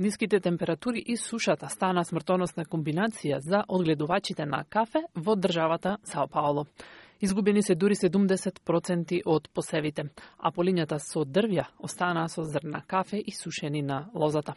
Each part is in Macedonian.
Ниските температури и сушата стана смртоносна комбинација за одгледувачите на кафе во државата Сао Пауло. Изгубени се дури 70% од посевите, а полињата со дрвја останаа со зрна кафе и сушени на лозата.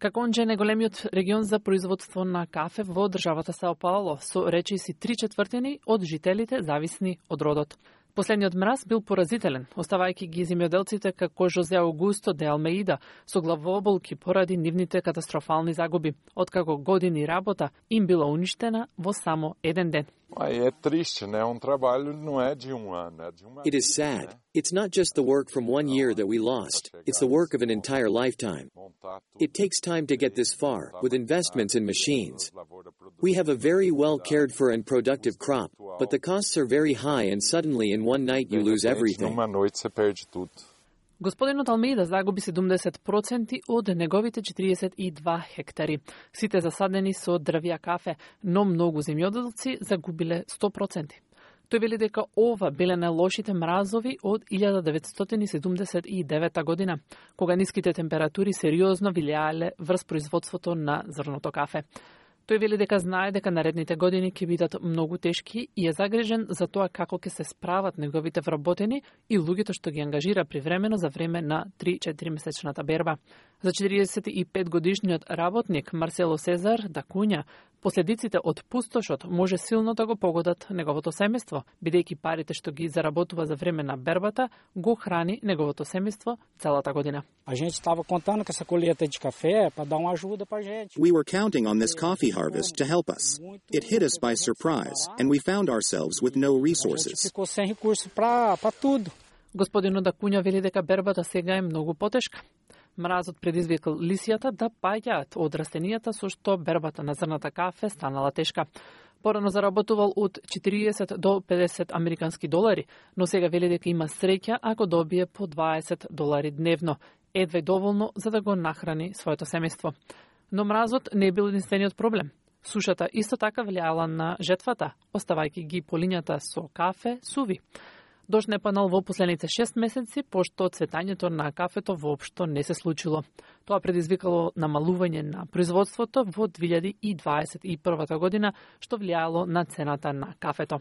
Каконџе е најголемиот регион за производство на кафе во државата Сао Пауло, со речиси 3/4 од жителите зависни од родот. Последниот мраз бил поразителен, оставајќи ги земјоделците како Жозе Аугусто де Алмеида со главооболки поради нивните катастрофални загуби, откако години работа им била уништена во само еден ден. É triste, né? Trabalho não é de ano, é de uma. It is sad. It's not just the work from 1 year that we lost. It's the work of an entire lifetime. It takes time to get this far, with investments in machines. We have a very well cared for and productive crop, but the costs are very high and suddenly in one night you lose everything. Numa noite você perde tudo. Господинот Алмеида загуби 70% од неговите 42 хектари. Сите засадени со дрвја кафе, но многу земјоделци загубиле 100%. Тој вели дека ова биле најлошите мразови од 1979 година, кога ниските температури сериозно влијаеле врз производството на зрното кафе. Тој вели дека знае дека наредните години ќе бидат многу тешки и е загрижен за тоа како ќе се справат неговите вработени и луѓето што ги ангажира привремено за време на 3-4 месечната берба. За 45 годишниот работник Марсело Сезар да Куња, последиците од пустошот може силно да го погодат неговото семејство, бидејќи парите што ги заработува за време на бербата го храни неговото семејство целата година. A gente estava contando com essa colheita de café para dar uma ajuda pra gente. We were counting on this coffee harvest to help us. It hit us by surprise and we found ourselves with no resources. Ficou sem recurso para tudo. Господинот да Куња вели дека бербата сега е многу потешка. Мразот предизвикал лисијата да паѓаат од растенијата со што бербата на зрната кафе станала тешка. Порано заработувал од 40 до 50 американски долари, но сега вели дека има среќа ако добие по 20 долари дневно, едве доволно за да го нахрани своето семејство. Но мразот не е бил единствениот проблем. Сушата исто така влијала на жетвата, оставајќи ги полињата со кафе суви. Дожд не паднал во последните 6 месеци, пошто цветањето на кафето воопшто не се случило. Тоа предизвикало намалување на производството во 2021 година, што влијало на цената на кафето.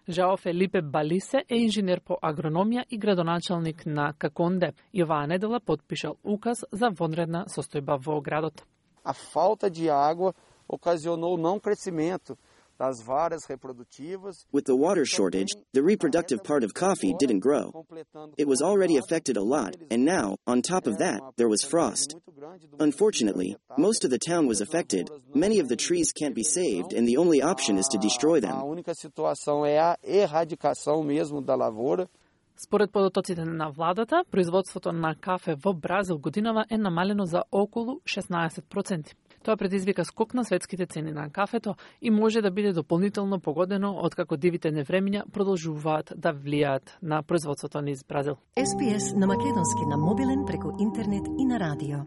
Жао Фелипе Балисе е инженер по агрономија и градоначалник на Каконде и оваа недела подпишал указ за вонредна состојба во градот. A falta de água ocasionou não crescimento das varas reprodutivas. With the water shortage, the reproductive part of coffee didn't grow. It was already affected a lot, and now, on top of that, there was frost. Unfortunately, most of the town was affected. Many of the trees can't be saved, and the only option is to destroy them. A única situação é a erradicação mesmo da lavoura. Според податоците на владата, производството на кафе во Бразил годинава е намалено за околу 16%. Тоа предизвика скок на светските цени на кафето и може да биде дополнително погодено откако дивите невремиња продолжуваат да влијаат на производството низ Бразил. SPS на македонски на мобилен преку интернет и на радио.